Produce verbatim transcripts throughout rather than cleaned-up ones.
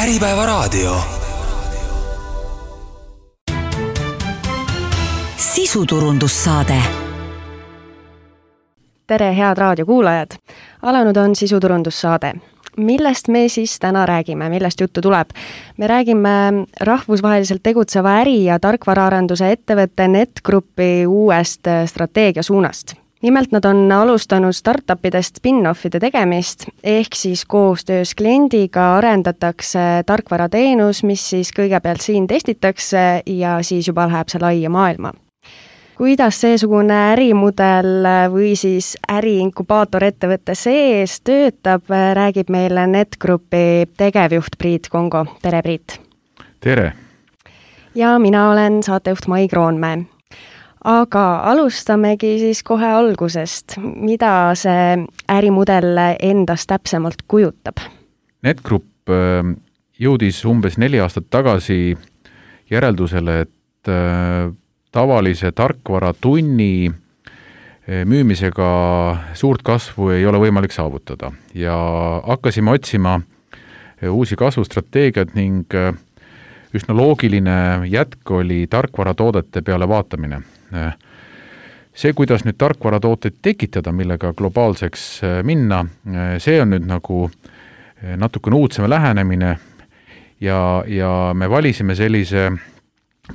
Äripäevaraadio. Sisuturundussaade. Tere, head raadiokuulajad! Alanud on sisuturundussaade. Millest me siis täna räägime, millest juttu tuleb? Me räägime rahvusvaheliselt tegutseva äri- ja tarkvaraarenduse ettevõtte NetGroupi uuest strateegiasuunast. Nimelt nad on alustanud startupidest spin-offide tegemist, ehk siis koostöös kliendiga arendatakse tarkvarateenus, mis siis kõigepealt siin testitakse ja siis juba läheb see laia maailma. Kuidas seesugune ärimudel või siis äriinkubaator ettevõtte sees töötab, räägib meile NetGroupi tegevjuht Priit Kongo. Tere, Priit! Tere! Ja mina olen saatejuht Mai Kroonmäe. Aga alustamegi siis kohe algusest. Mida see ärimudel endast täpsemalt kujutab? NetGroup jõudis umbes neli aastat tagasi järeldusele, et tavalise tarkvaratunni müümisega suurt kasvu ei ole võimalik saavutada ja hakkasime otsima uusi kasvustrateegiad ning üsna loogiline jätk oli tarkvaratoodete peale vaatamine. See, kuidas nüüd tarkvaratooteid tekitada, millega globaalseks minna, see on nüüd nagu natukene uudseme lähenemine ja, ja me valisime sellise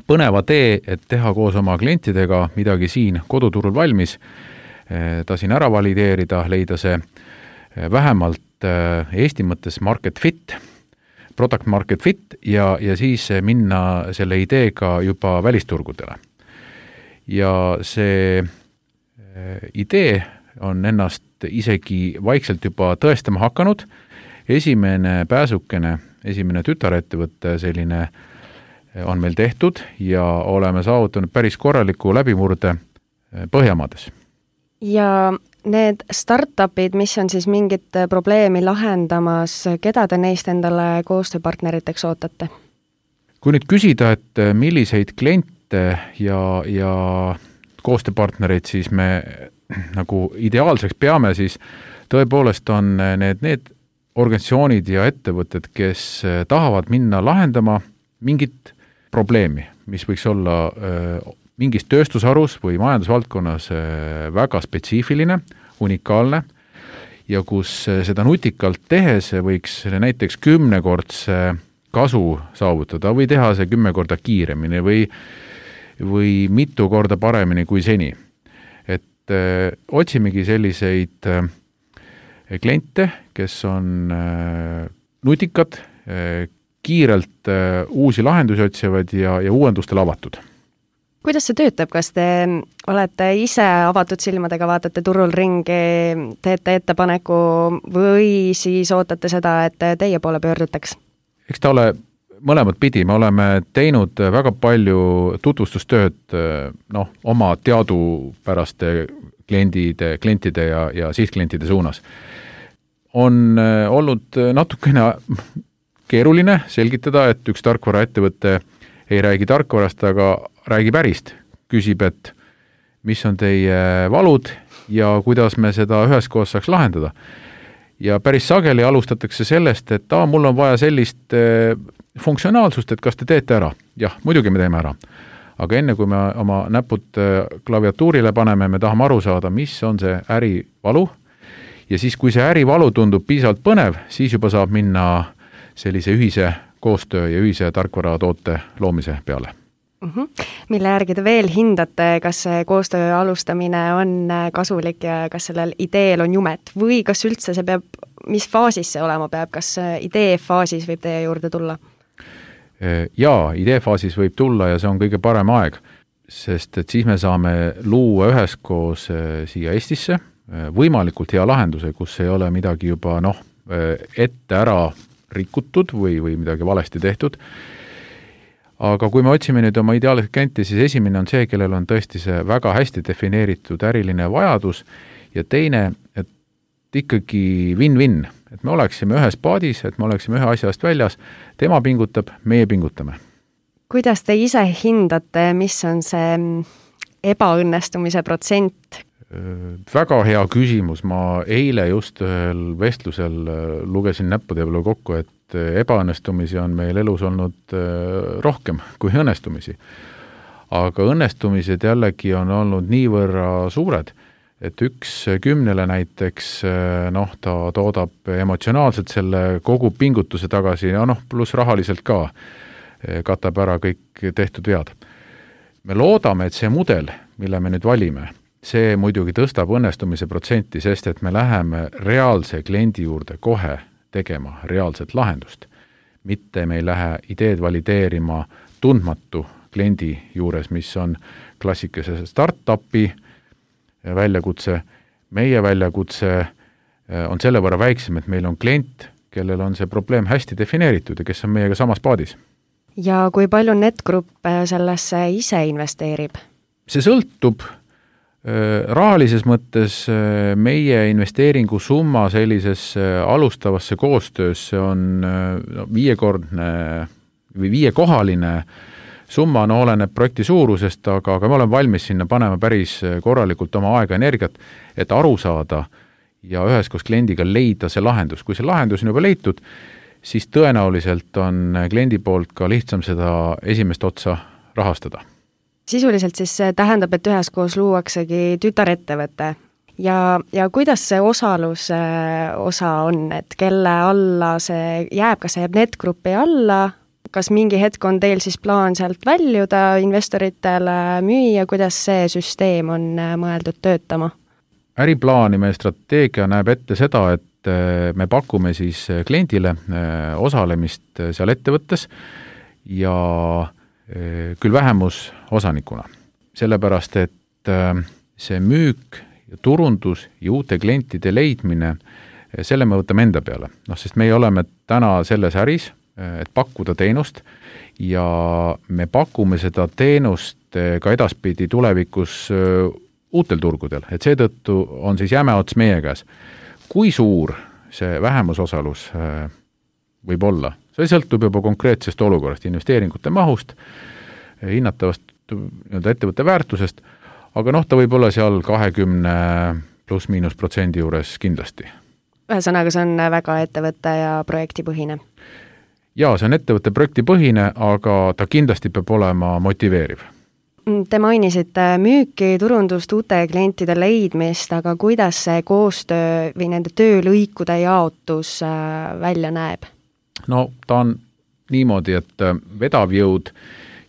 põneva tee, et teha koos oma klientidega midagi siin koduturul valmis, ta siin ära valideerida, leida see vähemalt Eesti mõttes market fit, product market fit ja, ja siis minna selle ideega juba välisturgudele. Ja see idee on ennast isegi vaikselt juba tõestama hakanud. Esimene pääsukene, esimene tütarettevõtte selline on meil tehtud ja oleme saavutanud päris korraliku läbimurde Põhjamaades. Ja need startupid, mis on siis mingit probleemi lahendamas, keda te neist endale koostööpartneriteks ootate? Kui nüüd küsida, et milliseid kliente ja, ja koostööpartnereid siis me nagu ideaalseks peame, siis tõepoolest on need, need organisatsioonid ja ettevõtted, kes tahavad minna lahendama mingit probleemi, mis võiks olla äh, mingis tööstusharus või majandusvaldkonnas äh, väga spetsiifiline, unikaalne ja kus äh, seda nutikalt tehes võiks näiteks kümnekordse kasu saavutada või teha see kümme korda kiiremini või, või mitu korda paremini kui seni. Et äh, otsimegi selliseid äh, kliente, kes on äh, nutikad, äh, kiirelt uh, uusi lahendusi otsivad ja, ja uuendustele avatud. Kuidas see töötab? Kas te olete ise avatud silmadega, vaatate turul ringi, teete ettepaneku või siis ootate seda, et teie poole pöördutaks? Eks ta ole mõlemad pidi. Me oleme teinud väga palju tutvustustööd noh, oma teadupäraste kliendide, klientide ja, ja sihtklientide suunas. On olnud natukene keeruline selgitada, et üks tarkvaraettevõte ei räägi tarkvarast, aga räägib ärist. Küsib, et mis on teie valud ja kuidas me seda üheskoos saaks lahendada. Ja päris sageli alustatakse sellest, et aa, mul on vaja sellist funktsionaalsust, et kas te teete ära. Jah, muidugi me teeme ära. Aga enne kui me oma näpud klaviatuurile paneme, me tahame aru saada, mis on see ärivalu. Ja siis, kui see ärivalu tundub piisavalt põnev, siis juba saab minna sellise ühise koostöö ja ühise tarkvaratoote loomise peale. Mm-hmm. Mille järgi te veel hindate, kas see koostöö alustamine on kasulik ja kas sellel ideel on jumet või kas üldse see peab, mis faasis see olema peab, kas idee faasis võib teie juurde tulla? Jaa, idee faasis võib tulla ja see on kõige parem aeg, sest et siis me saame luua üheskoos siia Eestisse võimalikult hea lahenduse, kus ei ole midagi juba noh, ette ära rikutud või, või midagi valesti tehtud. Aga kui me otsime nüüd oma ideaalset klienti, siis esimene on see, kellel on tõesti see väga hästi defineeritud äriline vajadus ja teine, et ikkagi win-win, et me oleksime ühes paadis, et me oleksime ühe asja eest väljas, tema pingutab, meie pingutame. Kuidas te ise hindate, mis on see ebaõnnestumise protsent? Väga hea küsimus. Ma eile just ühel vestlusel lugesin näppude peale kokku, et ebaõnnestumisi on meil elus olnud rohkem kui õnnestumisi. Aga õnnestumised jällegi on olnud niivõrra suured, et üks kümnele näiteks, noh, ta toodab emotsionaalselt selle kogu pingutuse tagasi ja noh, pluss rahaliselt ka katab ära kõik tehtud vead. Me loodame, et see mudel, mille me nüüd valime, see muidugi tõstab õnnestumise protsenti, sest et me läheme reaalse kliendi juurde kohe tegema reaalset lahendust. Mitte me ei lähe ideed valideerima tundmatu kliendi juures, mis on klassikese startupi väljakutse. Meie väljakutse on selle võrra väiksem, et meil on klient, kellel on see probleem hästi defineeritud ja kes on meiega samas paadis. Ja kui palju NetGroup sellesse ise investeerib? See sõltub rahalises mõttes meie investeeringu summa sellisesse alustavasse koostöösse on viiekordne või viiekohaline summa, no oleneb projekti suurusest, aga, aga me oleme valmis sinna panema päris korralikult oma aega energiat, et aru saada ja üheskoos kliendiga leida see lahendus. Kui see lahendus on juba leitud, siis tõenäoliselt on kliendi poolt ka lihtsam seda esimest otsa rahastada. Sisuliselt siis see tähendab, et üheskoos luuaksegi tütarettevõte ja, ja kuidas see osalus osa on, et kelle alla see jääb, kas see jääb NetGroupi alla, kas mingi hetk on teil siis plaan sealt väljuda investoritele müüa, kuidas see süsteem on mõeldud töötama? Äriplaani meie strateegia näeb ette seda, et me pakume siis kliendile osalemist seal ettevõttes ja küll vähemus osanikuna. Sellepärast, et see müük ja turundus ja uute klientide leidmine, selle me võtame enda peale. No, sest meie oleme täna selles äris, et pakkuda teenust ja me pakume seda teenust ka edaspidi tulevikus uutel turgudel, et seetõttu on siis jäme ots meie käes. Kui suur see vähemusosalus võib olla? See sõltub juba konkreetsest olukorrast, investeeringute mahust, hinnatavast ettevõtte väärtusest, aga noh, ta võib olla seal kahekümne pluss miinus protsendi juures kindlasti. Ühesõnaga, see on väga ettevõtte ja projektipõhine. Jaa, see on ettevõtte projektipõhine, aga ta kindlasti peab olema motiveeriv. Te mainisite müüki, turundust, uute klientide leidmist, aga kuidas see koostöö või nende töölõikude jaotus välja näeb? No ta on niimoodi, et vedav jõud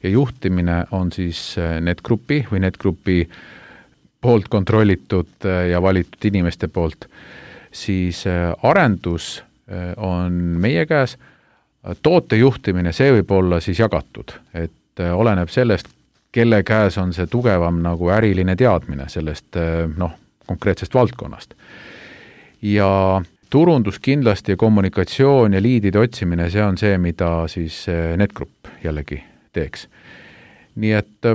ja juhtimine on siis NetGroupi või NetGroupi poolt kontrollitud ja valitud inimeste poolt, siis arendus on meie käes, toote juhtimine, see võib olla siis jagatud, et oleneb sellest, kelle käes on see tugevam nagu äriline teadmine sellest noh, konkreetsest valdkonnast. Ja turundus kindlasti ja kommunikatsioon ja liidide otsimine, see on see, mida siis NetGroup jällegi teeks. Nii et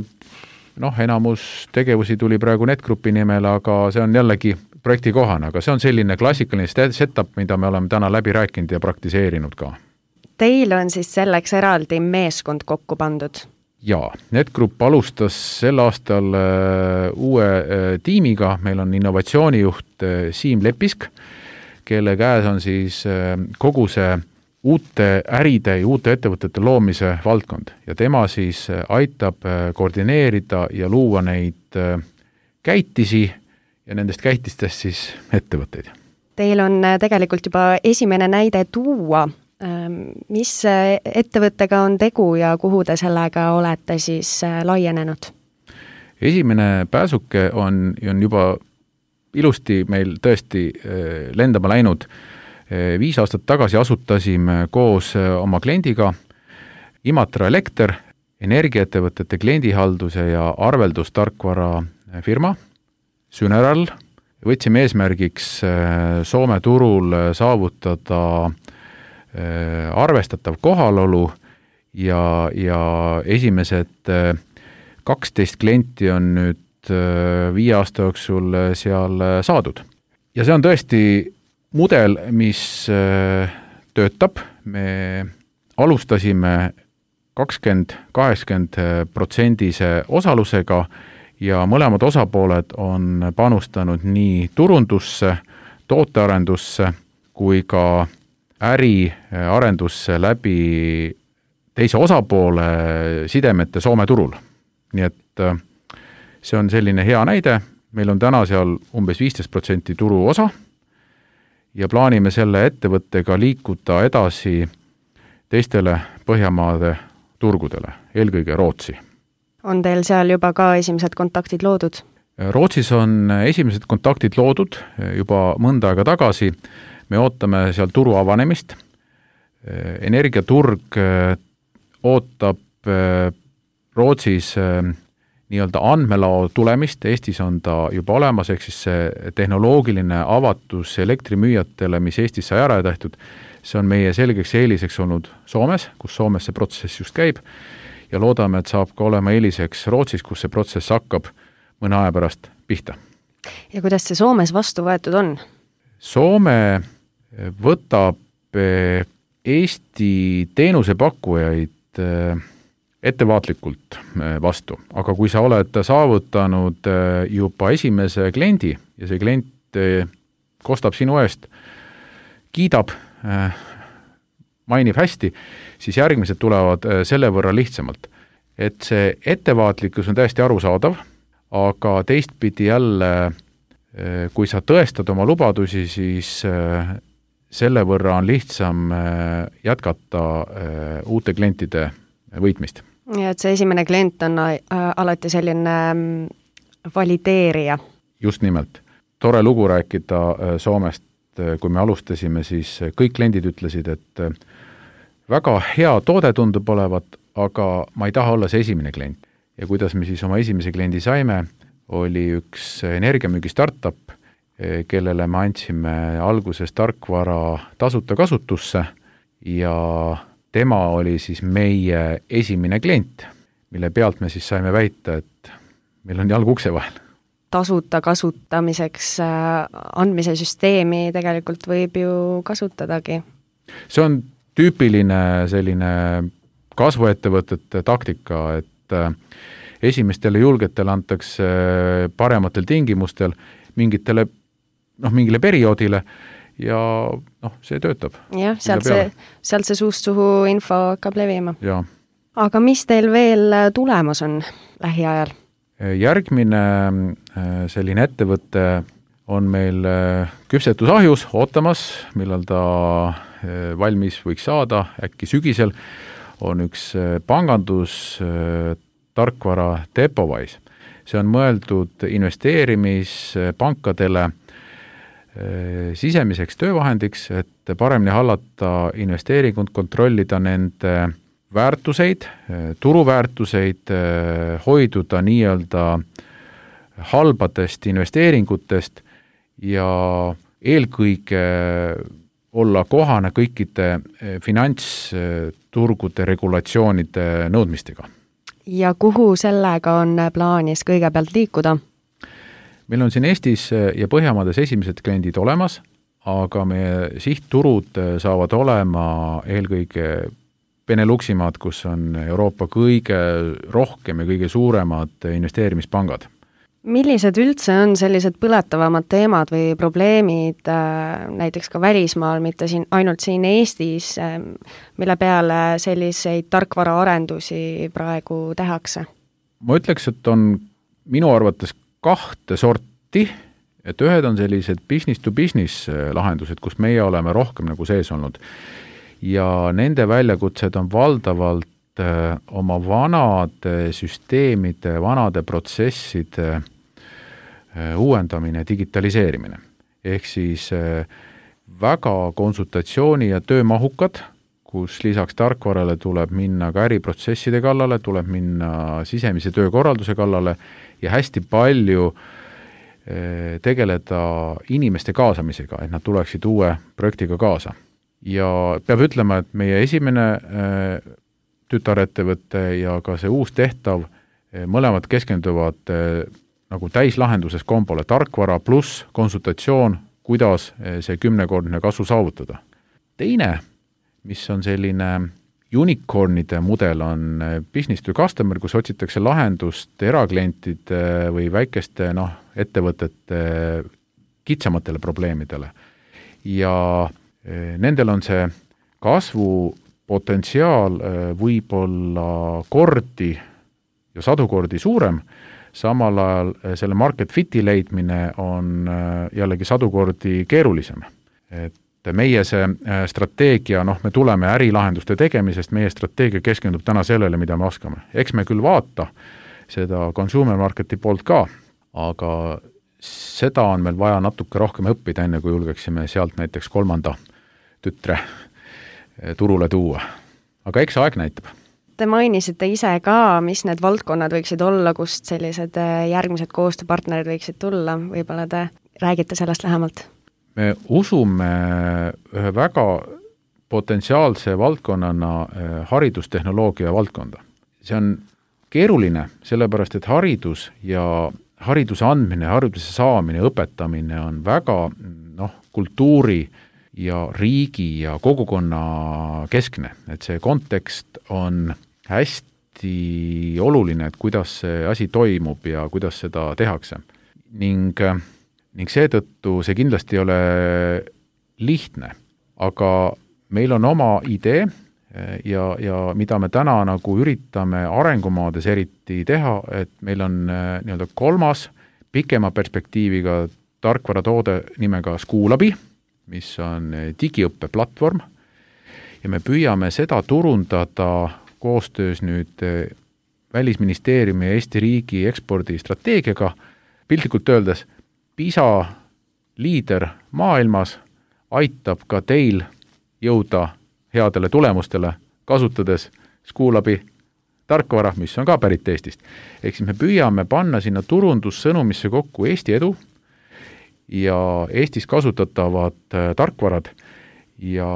noh, enamus tegevusi tuli praegu NetGroupi nimel, aga see on jällegi projekti kohane, aga see on selline klassikaline setup, mida me oleme täna läbi rääkinud ja praktiseerinud ka. Teil on siis selleks eraldi meeskond kokku pandud? Jaa, NetGroup alustas sel aastal uue tiimiga, meil on innovatsioonijuht Siim Lepisk, kelle käes on siis kogu see uute äride ja uute ettevõtete loomise valdkond ja tema siis aitab koordineerida ja luua neid käitisi ja nendest käitistest siis ettevõtteid. Teil on tegelikult juba esimene näide tuua. Mis ettevõttega on tegu ja kuhu te sellega olete siis laienenud? Esimene pääsuke on, on juba ilusti meil tõesti lendama läinud. Viis aastat tagasi asutasime koos oma kliendiga Imatra Elekter, energiaettevõtete kliendihalduse ja arveldustarkvara firma Syneral. Võtsime eesmärgiks Soome turul saavutada arvestatav kohalolu ja, ja esimesed kaksteist klienti on nüüd viie aasta jooksul seal saadud. Ja see on tõesti mudel, mis töötab. Me alustasime kakskümmend kaheksakümmend protsendise osalusega ja mõlemad osapooled on panustanud nii turundusse, tootearendusse kui ka äriarendusse läbi teise osapoole sidemete Soome turul. Nii et see on selline hea näide, meil on täna seal umbes viisteist protsenti turu osa ja plaanime selle ettevõttega liikuda edasi teistele Põhjamaade turgudele, eelkõige Rootsi. On teil seal juba ka esimesed kontaktid loodud? Rootsis on esimesed kontaktid loodud juba mõnda aega tagasi. Me ootame seal turu avanemist. Energiaturg ootab Rootsis nii-öelda andmelao tulemist, Eestis on ta juba olemas, ehk siis see tehnoloogiline avatus elektrimüüjatele, mis Eestis sai ära tehtud, see on meie selgeks eeliseks olnud Soomes, kus Soomes see protsess just käib, ja loodame, et saab ka olema eeliseks Rootsis, kus see protsess hakkab mõne aja pärast pihta. Ja kuidas see Soomes vastu võetud on? Soome võtab Eesti teenusepakkujaid ettevaatlikult vastu, aga kui sa oled saavutanud juba esimese kliendi ja see klient kostab sinu eest, kiidab, mainib hästi, siis järgmised tulevad selle võrra lihtsamalt. Et see ettevaatlikkus on täiesti arusaadav, aga teistpidi jälle, kui sa tõestad oma lubadusi, siis selle võrra on lihtsam jätkata uute klientide võitmist. Ja et see esimene klient on alati selline valideerija. Just nimelt. Tore lugu rääkida Soomest, kui me alustasime, siis kõik kliendid ütlesid, et väga hea toode tundub olevat, aga ma ei taha olla see esimene klient. Ja kuidas me siis oma esimese kliendi saime, oli üks energiamüügi startup, kellele me andsime alguses tarkvara tasuta kasutusse ja tema oli siis meie esimene klient, mille pealt me siis saime väita, et meil on jalg ukse vahel. Tasuta kasutamiseks andmise süsteemi tegelikult võib ju kasutadagi. See on tüüpiline selline kasvuettevõtete taktika, et esimestele julgetele antakse parematel tingimustel mingitele, noh, mingile perioodile ja noh, see töötab. Jah, sealt see, sealt see suust suhu info hakkab levima. Ja. Aga mis teil veel tulemas on lähiajal? Järgmine selline ettevõte on meil küpsetusahjus ootamas, millal ta valmis võiks saada, äkki sügisel, on üks pangandus tarkvara Depovise. See on mõeldud investeerimispankadele sisemiseks töövahendiks, et paremini hallata investeeringut, kontrollida nende väärtuseid, turuväärtuseid, hoiduda nii-öelda halbadest investeeringutest ja eelkõige olla kohane kõikide finantsturgude regulatsioonide nõudmistega. Ja kuhu sellega on plaanis kõigepealt liikuda? Meil on siin Eestis ja Põhjamaades esimesed kliendid olemas, aga meie sihtturud saavad olema eelkõige Beneluximaad, kus on Euroopa kõige rohkem ja kõige suuremad investeerimispangad. Millised üldse on sellised põletavamad teemad või probleemid näiteks ka välismaal, mitte siin, ainult siin Eestis, mille peale selliseid tarkvaraarendusi praegu tehakse? Ma ütleks, et on minu arvates kahte sorti, et ühed on sellised business to business lahendused, kus meie oleme rohkem nagu sees olnud. Ja nende väljakutsed on valdavalt oma vanade süsteemide, vanade protsesside uuendamine, digitaliseerimine. Ehk siis väga konsultatsiooni ja töömahukad, kus lisaks tarkvarale tuleb minna ka äriprotsesside kallale, tuleb minna sisemise töökorralduse kallale ja hästi palju tegeleda inimeste kaasamisega, et nad tuleksid uue projektiga kaasa. Ja peab ütlema, et meie esimene tütarettevõte ja ka see uus tehtav, mõlemad keskenduvad nagu täislahenduses kombole tarkvara pluss konsultatsioon, kuidas see kümnekordne kasvu saavutada. Teine, mis on selline unicornide mudel, on business to customer, kus otsitakse lahendust eraklientide või väikeste noh, ettevõtete kitsamatele probleemidele. Ja Nendel on see kasvupotentsiaal võib-olla kordi ja sadu kordi suurem, samal ajal selle market fiti leidmine on jällegi sadu kordi keerulisem. Et meie see strateegia, noh, me tuleme ärilahenduste tegemisest, meie strateegia keskendub täna sellele, mida me oskame. Eks me küll vaata seda consumer marketi poolt ka, aga seda on meil vaja natuke rohkem õppida, enne kui julgeksime sealt näiteks kolmanda tütre turule tuua. Aga eks aeg näitab. Te mainisite ise ka, mis need valdkonnad võiksid olla, kust sellised järgmised koostööpartnerid võiksid tulla. Võib-olla te räägite sellest lähemalt? Me usume ühe väga potentsiaalse valdkonnana haridustehnoloogia valdkonda. See on keeruline, sellepärast et haridus ja hariduse andmine, hariduse saamine, õpetamine on väga noh, kultuuri ja riigi ja kogukonna keskne. Et see kontekst on hästi oluline, et kuidas see asi toimub ja kuidas seda tehakse. Ning, ning seetõttu see kindlasti ei ole lihtne, aga meil on oma idee ja, ja mida me täna nagu üritame arengumaades eriti teha, et meil on nii-öelda kolmas pikema perspektiiviga tarkvaratoode nimega Schoolabi, mis on digiõppeplatvorm ja me püüame seda turundada koostöös nüüd Välisministeeriumi ja Eesti riigi ekspordistrateegiaga, piltlikult öeldes PISA liider maailmas aitab ka teil jõuda headele tulemustele, kasutades Schoolabi tarkvara, mis on ka pärit Eestist. Ehk siis me püüame panna sinna turundussõnumisse kokku Eesti edu ja Eestis kasutatavad tarkvarad ja,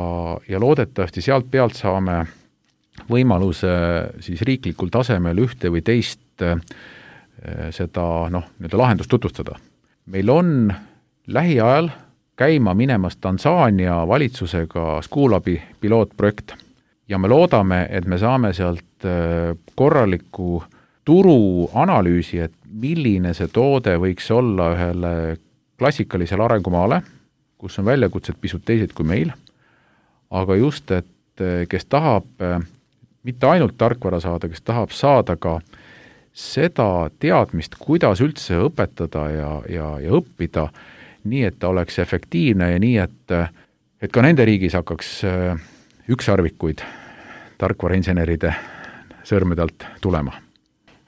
ja loodetavasti sealt pealt saame võimaluse siis riiklikul tasemel ühte või teist seda noh, nii-öelda lahendust tutvustada. Meil on lähiajal käima minemas Tansaania valitsusega Schoolabi pilootprojekt ja me loodame, et me saame sealt korraliku turuanalüüsi, et milline see toode võiks olla ühele klassikalisele arengumaale, kus on väljakutsed pisut teised kui meil, aga just, et kes tahab mitte ainult tarkvara saada, kes tahab saada ka seda teadmist, kuidas üldse õpetada ja, ja, ja õppida, nii et ta oleks efektiivne ja nii, et, et ka nende riigis hakkaks ükssarvikuid tarkvarainseneride sõrmedalt tulema.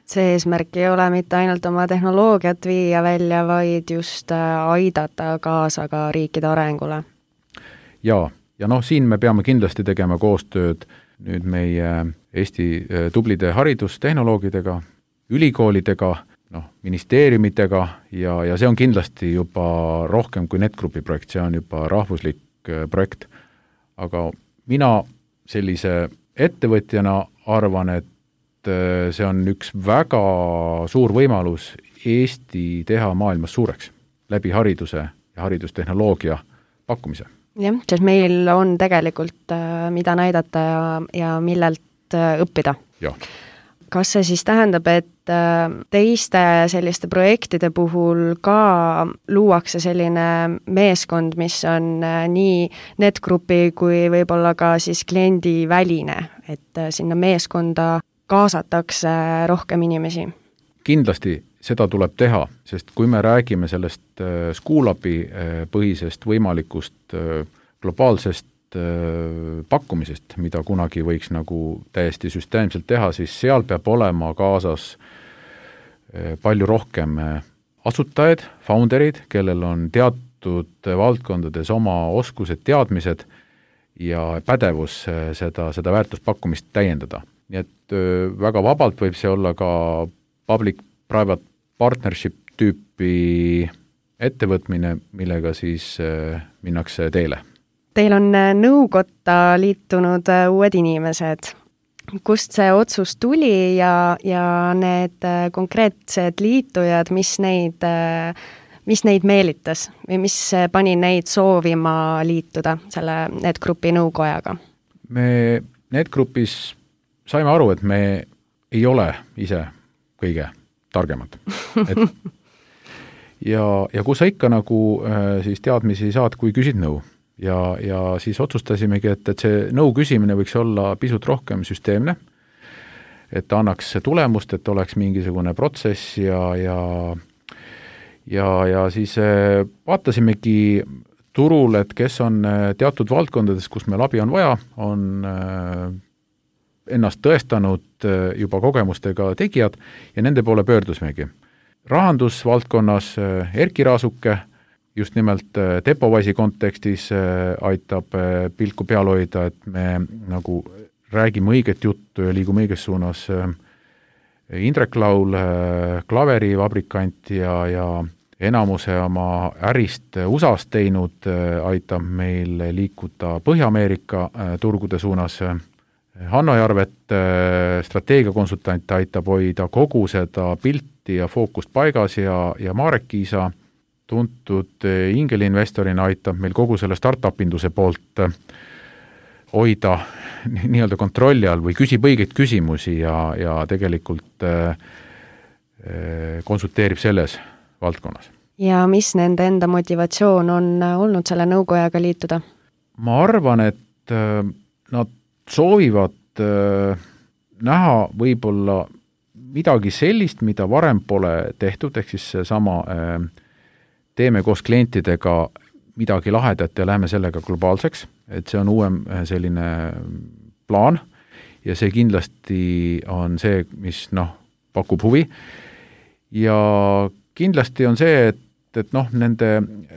See eesmärk ei ole mitte ainult oma tehnoloogiat viia välja, vaid just aidata kaasa ka riikide arengule. Ja, ja noh, siin me peame kindlasti tegema koostööd nüüd meie Eesti tublide haridustehnoloogidega, ülikoolidega, noh, ministeeriumitega ja, ja see on kindlasti juba rohkem kui NetGroupi projekt, see on juba rahvuslik projekt. Aga mina sellise ettevõtjana arvan, et see on üks väga suur võimalus Eesti teha maailmas suureks läbi hariduse ja haridustehnoloogia pakkumise. Jah, sest meil on tegelikult mida näidata ja, ja millelt õppida. Ja. Kas see siis tähendab, et teiste selliste projektide puhul ka luuakse selline meeskond, mis on nii NetGroupi kui võib-olla ka siis kliendi väline, et sinna meeskonda kaasatakse rohkem inimesi? Kindlasti seda tuleb teha, sest kui me räägime sellest Schoolabi põhisest võimalikust globaalsest pakkumisest, mida kunagi võiks nagu täiesti süsteemselt teha, siis seal peab olema kaasas palju rohkem asutajaid, founderid, kellel on teatud valdkondades oma oskused, teadmised ja pädevus seda, seda väärtuspakkumist täiendada. Nii et väga vabalt võib see olla ka public-private partnership tüüpi ettevõtmine, millega siis minnakse teele. Teil on nõukotta liitunud uued inimesed. Kust see otsus tuli ja, ja need konkreetsed liitujad, mis neid, mis neid meelitas või mis pani neid soovima liituda selle NetGroupi nõukojaga? Me NetGroupis saime aru, et me ei ole ise kõige targemad. Et ja, ja kus sa ikka nagu siis teadmisi saad, kui küsid nõu. ja, ja siis otsustasimegi, et, et see nõu küsimine võiks olla pisut rohkem süsteemne, et ta annaks tulemust, et oleks mingisugune protsess ja, ja ja, ja siis vaatasimegi turul, et kes on teatud valdkondades, kus meil abi on vaja, on ennast tõestanud juba kogemustega tegijad ja nende poole pöördusimegi. Rahandusvaldkonnas Erki Raasuke just nimelt Depovasi kontekstis aitab pilku peal hoida, et me nagu räägime õiget juttu ja liigume õiges suunas. Indrek Laul, klaverivabrikant ja, ja enamuse oma ärist U S A-s teinud, aitab meil liikuda Põhja-Ameerika turgude suunas. Hanno Jarvet, strateegiakonsultant, aitab hoida kogu seda pilti ja fookust paigas ja, ja Marek Kiisa, tuntud ingeliinvestorina, aitab meil kogu selle startup-induse poolt hoida nii-öelda kontrolli all või küsib õigeid küsimusi ja, ja tegelikult äh, konsulteerib selles valdkonnas. Ja mis nende enda motivatsioon on olnud selle nõukojaga liituda? Ma arvan, et äh, nad soovivad äh, näha võib-olla midagi sellist, mida varem pole tehtud, ehk siis sama äh, teeme koos klientidega midagi lahedat ja läheme sellega globaalseks, et see on uuem selline plaan ja see kindlasti on see, mis noh, pakub huvi. Ja kindlasti on see, et, et noh, nende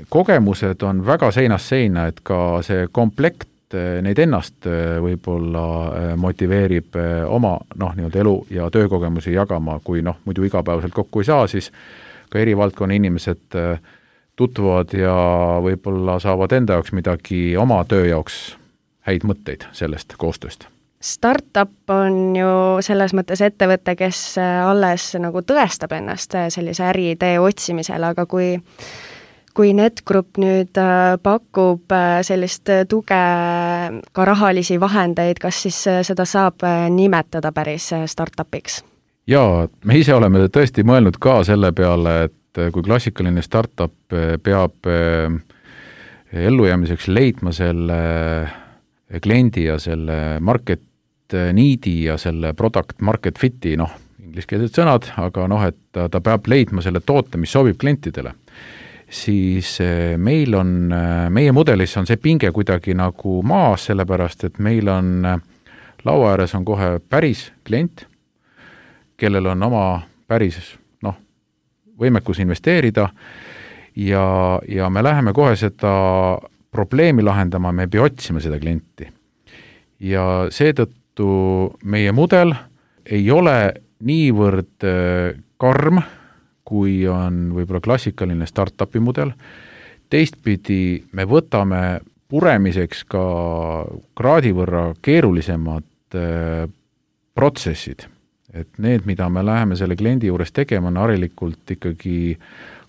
kogemused on väga seinast seina, et ka see komplekt neid ennast võib-olla motiveerib oma noh, nii-öelda elu ja töökogemusi jagama, kui noh, muidu igapäevaselt kokku ei saa, siis ka eri valdkonna inimesed tutvuvad ja võib-olla saavad enda jaoks midagi oma töö jaoks häid mõtteid sellest koostööst. Startup on ju selles mõttes ettevõte, kes alles nagu tõestab ennast sellise äriidee otsimisel, aga kui kui NetGroup nüüd pakub sellist tuge, ka rahalisi vahendeid, kas siis seda saab nimetada päris startupiks? Jaa, me ise oleme tõesti mõelnud ka selle peale, et kui klassikaline startup peab ellujäämiseks leidma selle kliendi ja selle market needi ja selle product market fiti, noh, ingliskeelsed sõnad, aga noh, et ta peab leidma selle toote, mis sobib klientidele. Siis meil on, meie mudelis on see pinge kuidagi nagu maas, sellepärast, et meil on laua ääres on kohe päris klient, kellel on oma päris noh, võimekus investeerida ja, ja me läheme kohe seda probleemi lahendama, me ei pea otsima seda klienti. Ja seetõttu meie mudel ei ole niivõrd karm, kui on võib-olla klassikaline startupi mudel. Teistpidi me võtame puremiseks ka kraadi võrra keerulisemad protsessid. Et need, mida me läheme selle kliendi juures tegema, on harilikult ikkagi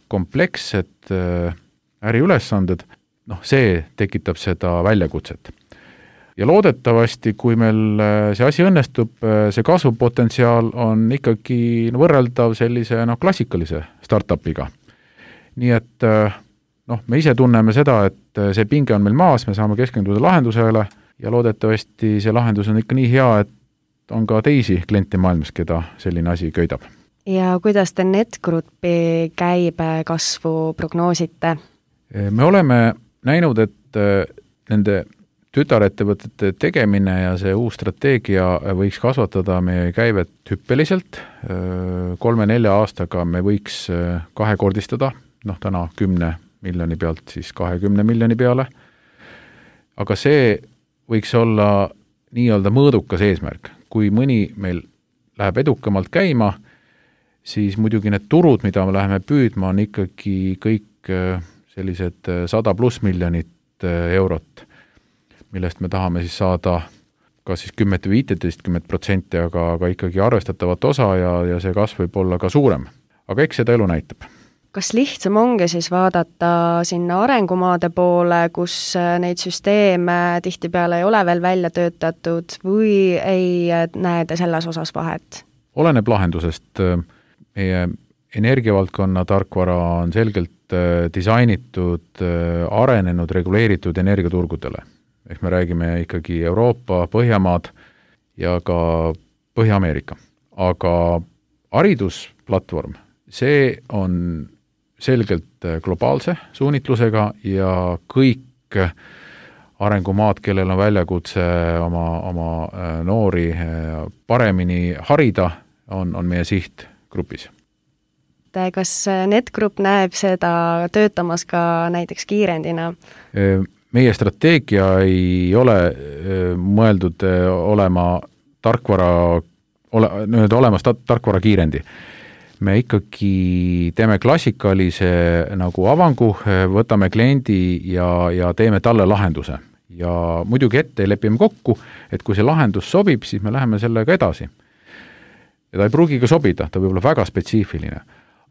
komplekssed äriülesanded. Noh, see tekitab seda väljakutset. Ja loodetavasti, kui meil see asi õnnestub, see kasvupotentsiaal on ikkagi võrreldav sellise no, klassikalise startupiga. Nii et noh, me ise tunneme seda, et see pinge on meil maas, me saame keskenduda lahendusele ja loodetavasti see lahendus on ikka nii hea, et on ka teisi kliente maailmas, keda selline asi köidab. Ja kuidas te NetGroupi käibe kasvu prognoosite? Me oleme näinud, et nende tütarettevõtete tegemine ja see uus strateegia võiks kasvatada meie käivet hüppeliselt. Kolme-nelja aastaga me võiks kahekordistada, noh täna kümne miljoni pealt siis kahekümne miljoni peale. Aga see võiks olla nii-öelda mõõdukas eesmärk. Kui mõni meil läheb edukamalt käima, siis muidugi need turud, mida me läheme püüdma, on ikkagi kõik sellised sada pluss miljonit eurot, millest me tahame siis saada ka siis kümmet või viiteist protsenti, aga, aga ikkagi arvestatavat osa ja, ja see kasv võib olla ka suurem. Aga eks seda elu näitab. Kas lihtsam ongi siis vaadata sinna arengumaade poole, kus neid süsteeme tihtipeale ei ole veel välja töötatud või ei näe te selles osas vahet? Oleneb lahendusest. Meie energiavaldkonna tarkvara on selgelt disainitud arenenud, reguleeritud energiaturgudele. Ehk me räägime ikkagi Euroopa, Põhjamaad ja ka Põhja-Ameerika. Aga haridusplatvorm, see on selgelt globaalse suunitlusega ja kõik arengumaad, kellel on väljakutse oma, oma noori paremini harida, on, on meie sihtgrupis. Kas NetGroup näeb seda töötamas ka näiteks kiirendina? Meie strateegia ei ole mõeldud olema tarkvara, ole, nüüd olemas tarkvara kiirendi. Me ikkagi teeme klassikalise nagu avangu, võtame kliendi ja, ja teeme talle lahenduse. Ja muidugi ette lepime kokku, et kui see lahendus sobib, siis me läheme sellega edasi. Ja ta ei pruugi ka sobida, ta võib olla väga spetsiifiline.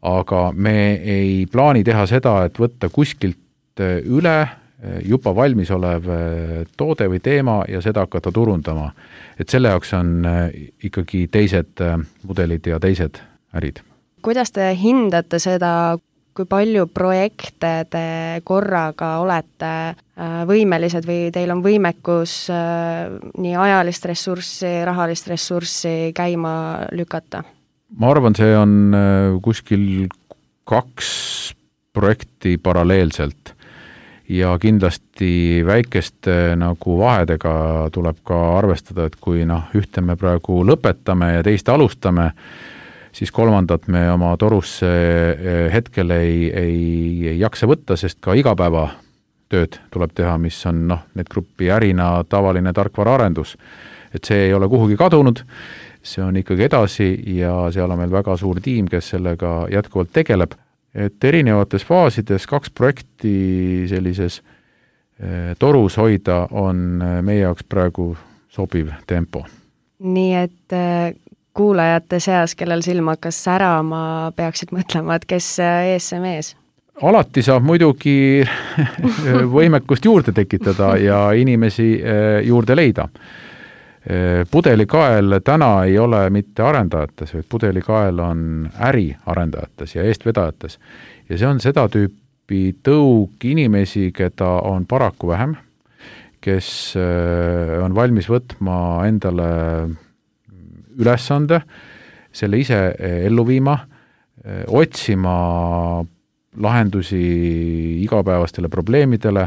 Aga me ei plaani teha seda, et võtta kuskilt üle juba valmis olev toode või teema ja seda hakata turundama. Et selle jaoks on ikkagi teised mudelid ja teised ärid. Kuidas te hindate seda, kui palju projekte te korraga olete võimelised või teil on võimekus nii ajalist ressurssi, rahalist ressurssi käima lükata? Ma arvan, see on kuskil kaks projekti paralleelselt ja kindlasti väikeste nagu vahedega tuleb ka arvestada, et kui noh, ühte me praegu lõpetame ja teist alustame, siis kolmandat me oma torusse hetkel ei, ei, ei jaksa võtta, sest ka igapäeva tööd tuleb teha, mis on noh, NetGroupi ärina tavaline tarkvaraarendus. Et see ei ole kuhugi kadunud, see on ikkagi edasi ja seal on meil väga suur tiim, kes sellega jätkuvalt tegeleb. Et erinevates faasides kaks projekti sellises torus hoida on meie jaoks praegu sobiv tempo. Nii et kuulajate seas, kellel silm hakkas särama, peaksid mõtlema, et kes ees see mees? Alati saab muidugi võimekust juurde tekitada ja inimesi juurde leida. Pudelikael täna ei ole mitte arendajates, vaid pudelikael on äri arendajates ja eestvedajates. Ja see on seda tüüpi tõug inimesi, keda on paraku vähem, kes on valmis võtma endale ülesande, selle ise ellu viima, otsima lahendusi igapäevastele probleemidele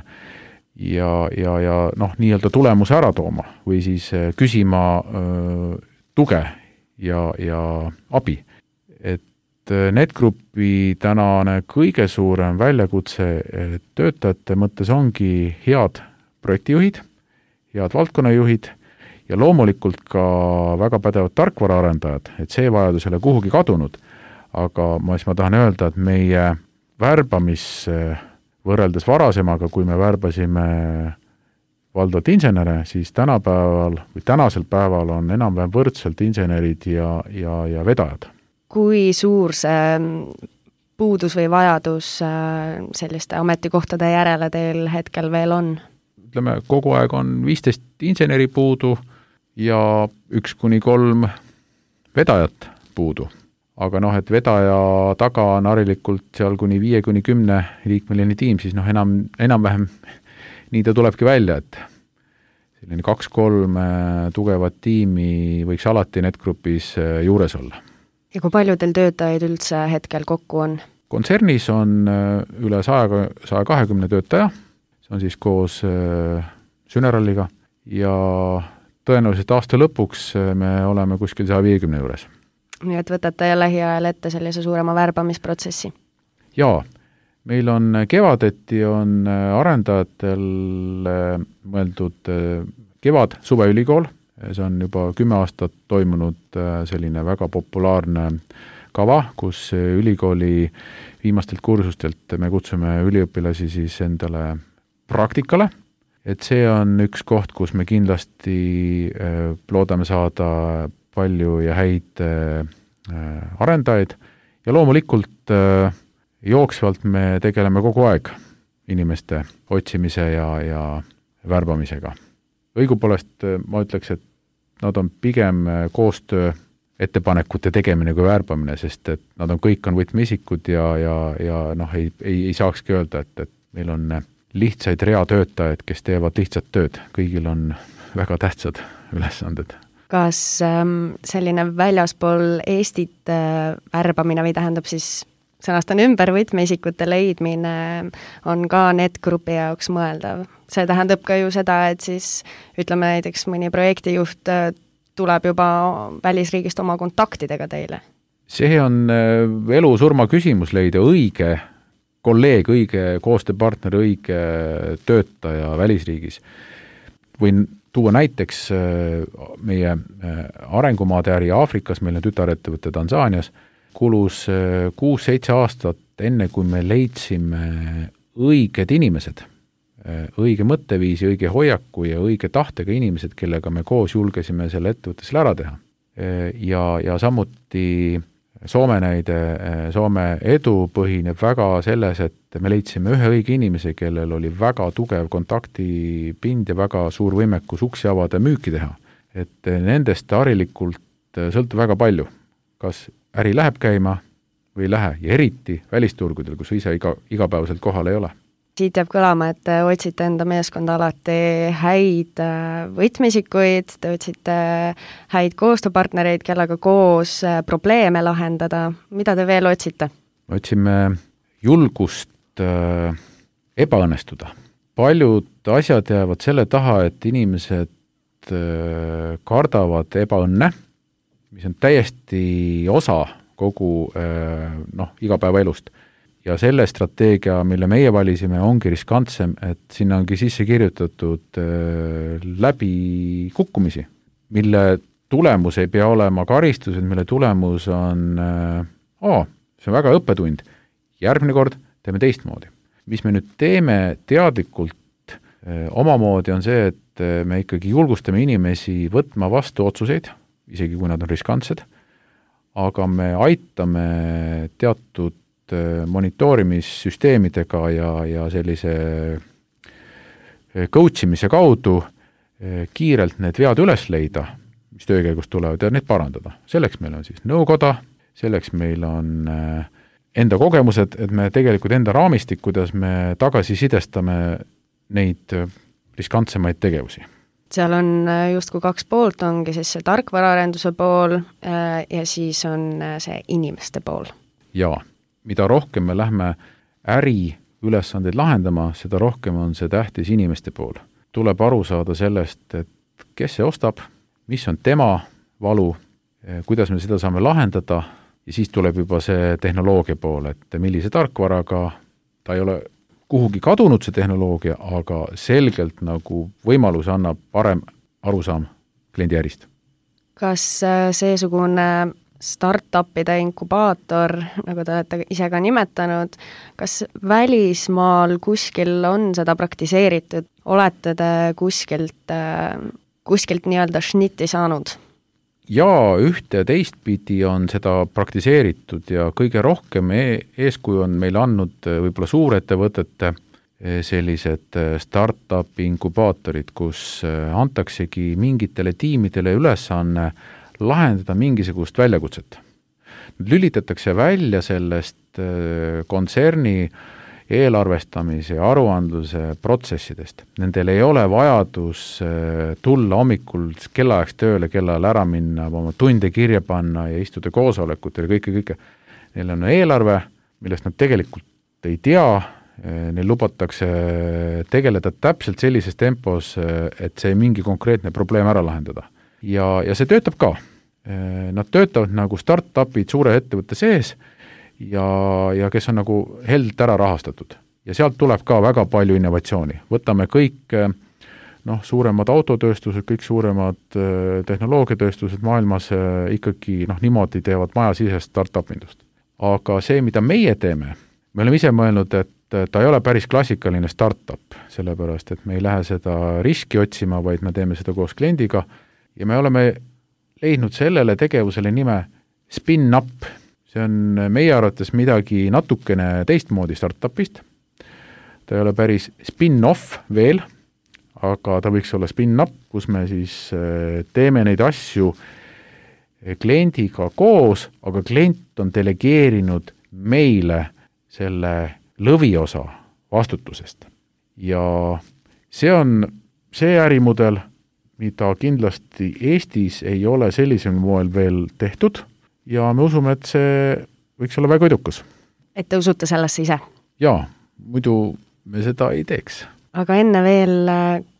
ja, ja, ja noh, nii-öelda tulemuse ära tooma või siis küsima öö, tuge ja, ja abi. Et NetGroupi tänane kõige suurem väljakutse töötajate mõttes ongi head projektijuhid, head valdkonnajuhid ja loomulikult ka väga pädevad tarkvaraarendajad, et see vajadus ei ole kuhugi kadunud, aga ma, ma tahan öelda, et meie värbamis võrreldes varasemaga, kui me värbasime valdavalt insenere, siis tänapäeval või tänasel päeval on enam-vähem võrdselt insenerid ja, ja, ja vedajad. Kui suur see puudus või vajadus selliste ametikohtade järele teil hetkel veel on? Ütleme, kogu aeg on viisteist inseneri puudu ja üks kuni kolm vedajat puudu. Aga noh, et vedaja taga on harilikult seal kuni viie kuni kümne liikmeline tiim, siis noh, enam, enam-vähem nii ta tulebki välja, et selline kaks-kolm tugevat tiimi võiks alati NetGroupis juures olla. Ja kui palju teil töötajaid üldse hetkel kokku on? Kontsernis on üle saja kahekümne töötaja, see on siis koos Syneralliga ja tõenäoliselt aasta lõpuks me oleme kuskil saja viiekümne juures. Nii et võtate lähiajal ette sellise suurema värbamisprotsessi? Jaa, meil on kevadeti on arendajatel mõeldud kevad suveülikool, see on juba kümme aastat toimunud selline väga populaarne kava, kus ülikooli viimastelt kursustelt me kutsume üliõpilasi siis endale praktikale, et see on üks koht, kus me kindlasti loodame saada palju ja häid äh, arendajaid ja loomulikult äh, jooksvalt me tegeleme kogu aeg inimeste otsimise ja, ja värbamisega. Õigupoolest äh, ma ütleks, et nad on pigem koostöö ettepanekute tegemine kui värbamine, sest et nad on, kõik on võtmeisikud ja, ja, ja noh, ei, ei, ei saakski öelda, et, et meil on lihtsaid reatöötajaid, kes teevad lihtsat tööd. Kõigil on väga tähtsad ülesanded. Kas ähm, selline väljaspool Eestit äh, värbamine või tähendab siis sõnastan ümber võtmeisikute leidmine on ka NET-grupi jaoks mõeldav? See tähendab ka ju seda, et siis ütleme näiteks mõni projektijuht tuleb juba välisriigist oma kontaktidega teile. See on elu-surma küsimus leida õige kolleeg, õige koostööpartner, õige töötaja välisriigis. Võin tuua näiteks meie arengumaade äri Aafrikas, meil on tütarettevõte Tansaanias, kulus kuus-seitse aastat enne, kui me leidsime õiged inimesed, õige mõtteviisi, õige hoiaku ja õige tahtega inimesed, kellega me koos julgesime selle ettevõttesele ära teha. Ja, ja samuti Soome näide, Soome edu põhineb väga selles, et me leidsime ühe õige inimese, kellel oli väga tugev kontaktipind ja väga suur võimekus uksi avada ja müüki teha. Et nendest harilikult sõltub väga palju, kas äri läheb käima või ei lähe, ja eriti välisturgudel, kus ise iga, igapäevaselt kohal ei ole. Siit jääb kõlama, et te otsite enda meeskonda alati häid võtmeisikuid, te otsite häid koostööpartnereid, kellega koos probleeme lahendada. Mida te veel otsite? Me otsime julgust äh, ebaõnnestuda. Paljud asjad jäävad selle taha, et inimesed äh, kardavad ebaõnne, mis on täiesti osa kogu äh, noh, igapäevaelust. Ja selle strateegia, mille meie valisime, ongi riskantsem, et sinna ongi sisse kirjutatud äh, läbi kukkumisi, mille tulemus ei pea olema karistused, mille tulemus on äh, aa, see on väga õppetund. Järgmine kord teeme teistmoodi. Mis me nüüd teeme teadlikult äh, omamoodi on see, et äh, me ikkagi julgustame inimesi võtma vastu otsuseid, isegi kui nad on riskantsed, aga me aitame teatud monitoorimissüsteemidega ja, ja sellise coachimise kaudu kiirelt need vead üles leida, mis töökäigus tulevad, ja need parandada. Selleks meil on siis nõukoda, selleks meil on enda kogemused, et me tegelikult enda raamistik, kuidas me tagasisidestame neid riskantsemaid tegevusi. Seal on justkui kaks poolt, ongi siis see tarkvaraarenduse pool ja siis on see inimeste pool. Jaa. Mida rohkem me lähme äri ülesandeid lahendama, seda rohkem on see tähtis inimeste pool. Tuleb aru saada sellest, et kes see ostab, mis on tema valu, kuidas me seda saame lahendada, ja siis tuleb juba see tehnoloogia pool, et millise tarkvaraga, ta ei ole kuhugi kadunud see tehnoloogia, aga selgelt nagu võimalus annab parem arusaam kliendi ärist. Kas seesugune startupide inkubaator, nagu te olete ise ka nimetanud, kas välismaal kuskil on seda praktiseeritud? Olete te kuskilt, kuskilt nii-öelda šnitti saanud? Jaa, ühte ja teistpidi on seda praktiseeritud ja kõige rohkem eeskuju on meil andnud võib-olla suurettevõtete sellised startup inkubaatorid, kus antaksegi mingitele tiimidele ülesanne lahendada mingisugust väljakutset. Nüüd lülitatakse välja sellest kontserni eelarvestamise ja aruandluse protsessidest. Nendel ei ole vajadus tulla hommikul kellaajaks tööle, kellal ära minna, oma tunde kirja panna ja istuda koosolekutel ja kõike, kõike. Neil on eelarve, millest nad tegelikult ei tea, neil lubatakse tegeleda täpselt sellises tempos, et see mingi konkreetne probleem ära lahendada. Ja, ja see töötab ka. Nad töötavad nagu startupid suure ettevõtte sees ja, ja kes on nagu held ära rahastatud. Ja sealt tuleb ka väga palju innovatsiooni. Võtame kõik noh, suuremad autotööstused, kõik suuremad tehnoloogiatööstused maailmas ikkagi noh, niimoodi teevad majasisest startup-indust. Aga see, mida meie teeme, me oleme ise mõelnud, et ta ei ole päris klassikaline startup, sellepärast, et me ei lähe seda riski otsima, vaid me teeme seda koos kliendiga. Ja me oleme leidnud sellele tegevusele nime spin-up. See on meie arvates midagi natukene teistmoodi startupist. Ta ei ole päris spin-off veel, aga ta võiks olla spin-up, kus me siis teeme neid asju kliendiga koos, aga klient on delegeerinud meile selle lõviosa vastutusest. Ja see on see ärimudel, mida kindlasti Eestis ei ole sellisel moel veel tehtud ja me usume, et see võiks olla väga edukas. Et te usute sellesse ise? Jaa, muidu me seda ei teeks. Aga enne veel,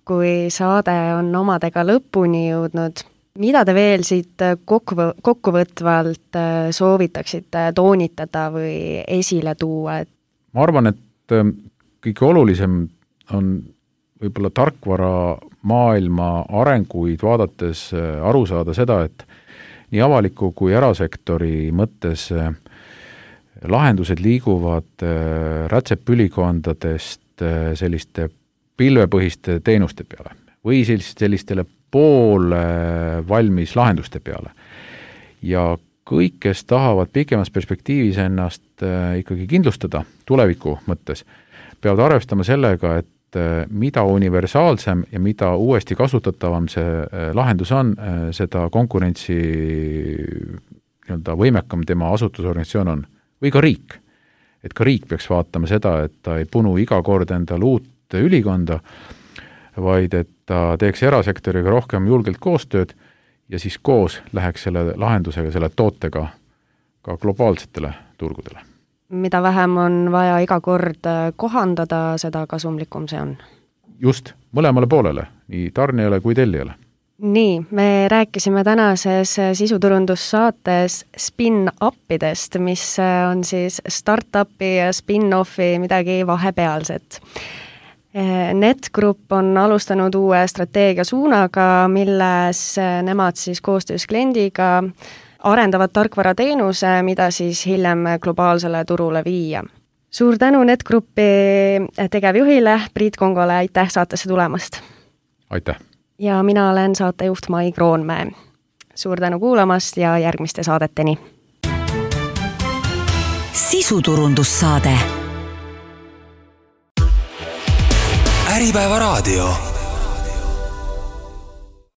kui saade on omadega lõpuni jõudnud, mida te veel siit kokku, kokkuvõtvalt soovitaksite toonitada või esile tuua? Ma arvan, et kõige olulisem on võib-olla tarkvara maailma arenguid vaadates aru saada seda, et nii avaliku kui erasektori mõttes lahendused liiguvad rätsepülikondadest selliste pilvepõhiste teenuste peale või sellistele pool valmis lahenduste peale. Ja kõik, kes tahavad pikemas perspektiivis ennast ikkagi kindlustada tuleviku mõttes, peavad arvestama sellega, et mida universaalsem ja mida uuesti kasutatavam see lahendus on, seda konkurentsi nii-öelda võimekam tema asutusorganisatsioon on. Või ka riik. Et ka riik peaks vaatama seda, et ta ei punu iga kord endal uut ülikonda, vaid et ta teeks erasektoriga rohkem julgelt koostööd ja siis koos läheks selle lahendusega, selle tootega ka globaalsetele turgudele. Mida vähem on vaja iga kord kohandada, seda kasumlikum see on. Just, mõlemale poolele, nii tarnijale kui tellijale. Nii, me rääkisime tänases sisuturundussaates spin-upidest, mis on siis startupi ja spin-offi midagi vahepealset. NetGroup on alustanud uue strateegia suunaga, milles nemad siis koostöös kliendiga arendavad tarkvarateenuse, mida siis hiljem globaalsele turule viia. Suur tänu NetGroupi tegevjuhile Priit Kongole, aitäh saatesse tulemast! Aitäh! Ja mina olen saatejuht Mai Kroonmäe. Suur tänu kuulamast ja järgmiste saadeteni! Sisuturundussaade Äripäeva raadio.